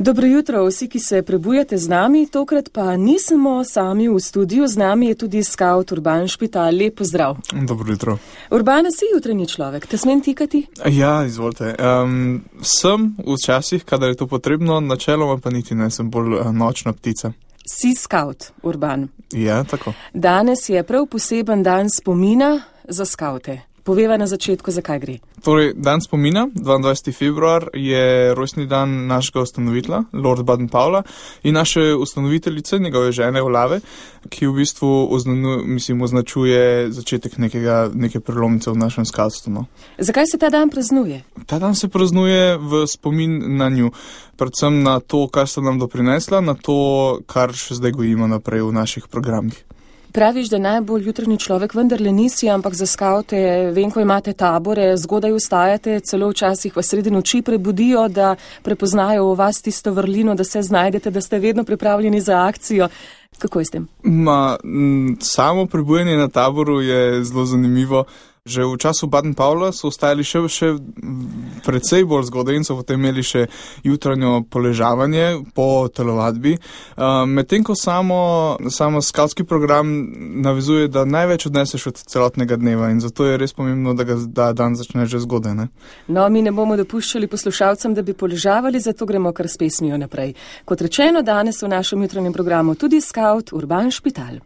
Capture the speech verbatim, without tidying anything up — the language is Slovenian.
Dobro jutro vsi, ki se prebujate z nami, tokrat pa nismo sami v studiu, z nami je tudi skaut Urban Špital. Lep pozdrav. Dobro jutro. Urban, si jutranji človek, te smem tikati? Ja, izvolite. Um, sem včasih, kadar je to potrebno, načeloma pa niti ne, sem bolj uh, nočna ptica. Si skaut, Urban. Ja, tako. Danes je prav poseben dan spomina za skaute. Poveva na začetku, zakaj gre. Torej, dan spomina, dvaindvajseti februar, je rojstni dan našega ustanovitla, Lord Baden-Powella, in naše ustanoviteljice, njegove žene Olave, ki v bistvu oznanu, mislim, označuje začetek nekega, neke prelomnice v našem skavtstvu. No. Zakaj se ta dan praznuje? Ta dan se praznuje v spomin na nju, predvsem na to, kar sta nam doprinesla, na to, kar še zdaj gojimo naprej v naših programih. Praviš, da najbolj jutranji človek vendarle nisi, ampak za skavte, vem, ko imate tabore, zgodaj vstajate, celo včasih v sredi noči prebudijo, da prepoznajo v vas tisto vrlino, da se znajdete, da ste vedno pripravljeni za akcijo. Kako je s tem? Ma, m, samo prebujanje na taboru je zelo zanimivo. Že v času Baden-Powella so ostajali še, še precej bolj zgodaj in so potem imeli še jutranjo poležavanje po telovadbi. Uh, Medtem ko samo, samo skavtski program navezuje, da največ odneseš od celotnega dneva in zato je res pomembno, da ga da dan začne že zgodaj. Ne? No, mi ne bomo dopuščali poslušalcem, da bi poležavali, zato gremo kar s pesmijo naprej. Kot rečeno, danes v našem jutranjem programu tudi skaut Urban Špital.